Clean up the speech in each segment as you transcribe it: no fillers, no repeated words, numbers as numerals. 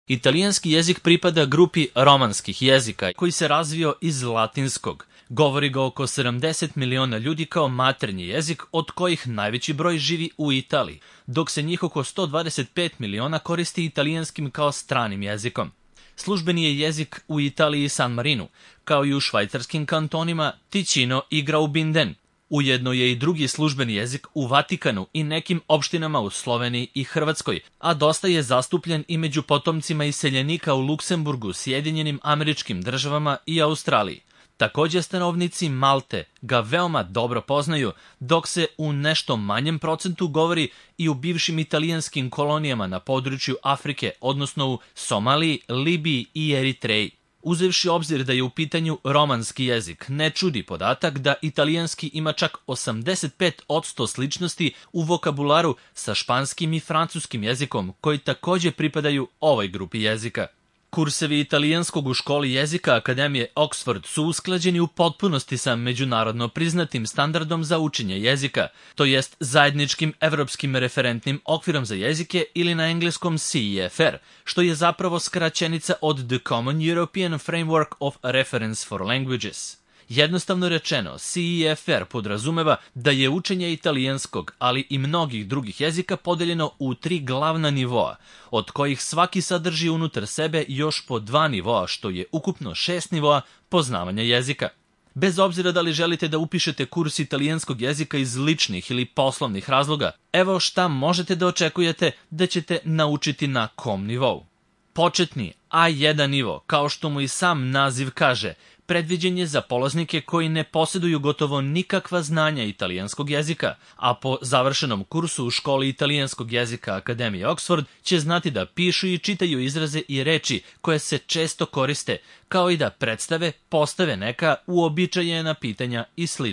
Italijanski jezik pripada grupi romanskih jezika koji se razvio iz latinskog. Govori ga oko 70 miliona ljudi kao maternji jezik, od kojih najveći broj živi u Italiji, dok se njih oko 125 miliona koristi italijanskim kao stranim jezikom. Službeni je jezik u Italiji i San Marinu, kao i u švajcarskim kantonima Ticino i Graubinden. Ujedno je i drugi službeni jezik u Vatikanu i nekim opštinama u Sloveniji i Hrvatskoj, a dosta je zastupljen i među potomcima iseljenika u Luksemburgu, Sjedinjenim Američkim Državama i Australiji. Također stanovnici Malte ga veoma dobro poznaju, dok se u nešto manjem procentu govori i u bivšim italijanskim kolonijama na području Afrike, odnosno u Somaliji, Libiji i Eritreji. Uzevši obzir da je u pitanju romanski jezik, ne čudi podatak da italijanski ima čak 85% sličnosti u vokabularu sa španskim i francuskim jezikom, koji također pripadaju ovoj grupi jezika. Kursevi italijanskog u školi jezika Akademije Oxford su usklađeni u potpunosti sa međunarodno priznatim standardom za učenje jezika, to jest zajedničkim evropskim referentnim okvirom za jezike ili na engleskom CEFR, što je zapravo skraćenica od The Common European Framework of Reference for Languages. Jednostavno rečeno, CEFR podrazumeva da je učenje italijanskog, ali i mnogih drugih jezika podeljeno u 3 glavna nivoa, od kojih svaki sadrži unutar sebe još po 2 nivoa, što je ukupno 6 nivoa poznavanja jezika. Bez obzira da li želite da upišete kurs italijanskog jezika iz ličnih ili poslovnih razloga, evo šta možete da očekujete da ćete naučiti na kom nivou. Početni A1 nivo, kao što mu i sam naziv kaže, predviđen je za polaznike koji ne posjeduju gotovo nikakva znanja italijanskog jezika, a po završenom kursu u školi italijanskog jezika Akademije Oxford će znati da pišu i čitaju izraze i reči koje se često koriste, kao i da predstave, postave neka uobičajena pitanja i sl.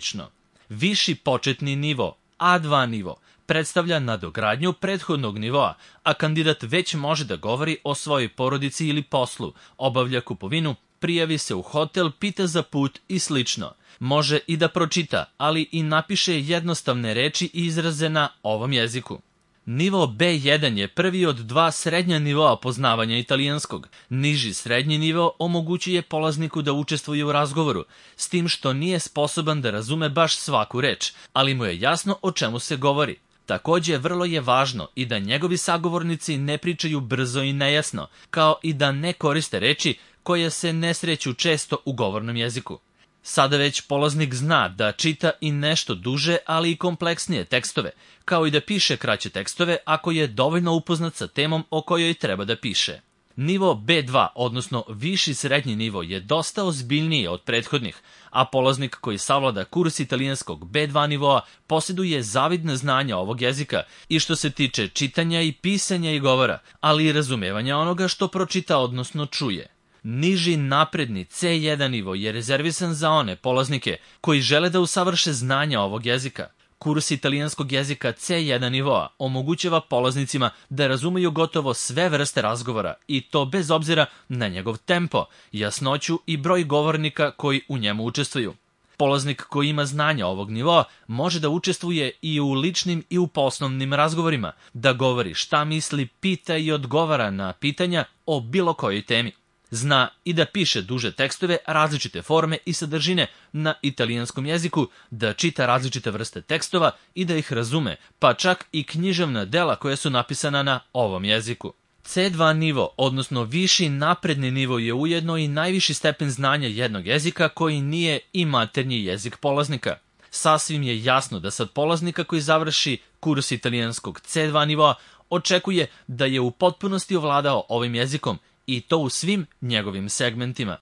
Viši početni nivo, A2 nivo, predstavlja nadogradnju prethodnog nivoa, a kandidat već može da govori o svojoj porodici ili poslu, obavlja kupovinu, prijavi se u hotel, pita za put i slično. Može i da pročita, ali i napiše jednostavne reči i izraze na ovom jeziku. Nivo B1 je prvi od 2 srednja nivoa poznavanja italijanskog. Niži srednji nivo omogućuje polazniku da učestvuje u razgovoru, s tim što nije sposoban da razume baš svaku reč, ali mu je jasno o čemu se govori. Također, vrlo je važno i da njegovi sagovornici ne pričaju brzo i nejasno, kao i da ne koriste reči koje se ne sreću često u govornom jeziku. Sada već polaznik zna da čita i nešto duže, ali i kompleksnije tekstove, kao i da piše kraće tekstove ako je dovoljno upoznat sa temom o kojoj treba da piše. Nivo B2, odnosno viši srednji nivo, je dosta ozbiljniji od prethodnih, a polaznik koji savlada kurs italijanskog B2 nivoa posjeduje zavidne znanja ovog jezika i što se tiče čitanja i pisanja i govora, ali i razumevanja onoga što pročita, odnosno čuje. Niži napredni C1 nivo je rezervisan za one polaznike koji žele da usavrše znanja ovog jezika. Kurs italijanskog jezika C1 nivoa omogućava polaznicima da razumeju gotovo sve vrste razgovora i to bez obzira na njegov tempo, jasnoću i broj govornika koji u njemu učestvuju. Polaznik koji ima znanja ovog nivoa može da učestvuje i u ličnim i u poslovnim razgovorima, da govori šta misli, pita i odgovara na pitanja o bilo kojoj temi. Zna i da piše duže tekstove, različite forme i sadržine na italijanskom jeziku, da čita različite vrste tekstova i da ih razume, pa čak i književna dela koja su napisana na ovom jeziku. C2 nivo, odnosno viši napredni nivo, je ujedno i najviši stepen znanja jednog jezika koji nije i maternji jezik polaznika. Sasvim je jasno da sad polaznika koji završi kurs italijanskog C2 nivoa očekuje da je u potpunosti ovladao ovim jezikom, i to u svim njegovim segmentima.